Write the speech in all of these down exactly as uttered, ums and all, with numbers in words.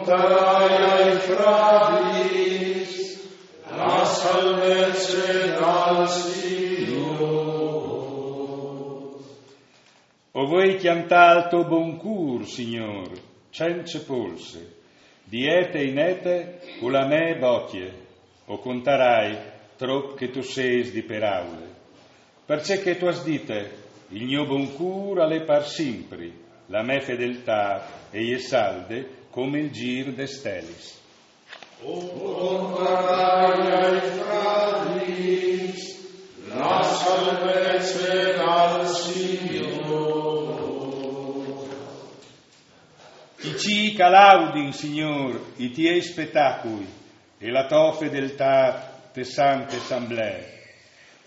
Contarai ai fradiis la salvezze dal Signôr. O voi cjantâ il to bon cûr, Signôr, cence polse, di ete in ete cu la mê bocje, o contarai trop che tu sês di peraule. Parcè che tu âs dite: il gno bon cûr al è par simpri, la mê fedeltât e je salde come il zîr des stelis. O contarai ai fradiis la salvezze dal Signôr. I cîi che a laudin, Signôr, i tiei spetacui e la tô fedeltât te sante samblee.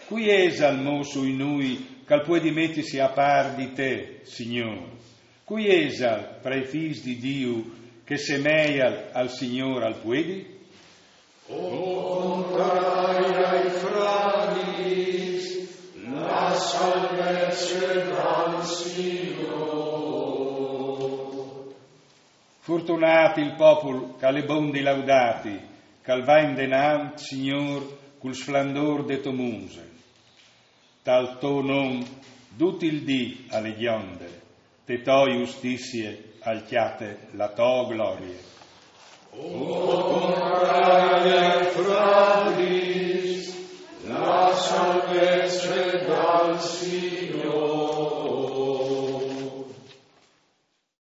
Cui isal mo sui nûi che al puedi metisi a pâr di te, Signôr? Cui isal, tra i fîs di Diu, che semeial al Signôr al puedi? O contarai ai fradiis la salvezze dal Signôr. Fortunât il popul che al è bon di laudâti, che al va indenant, Signôr, cul splendôr de tô muse. Tal to non dut il dì al è gjonde, te tô justizie al cjate la tô glorie.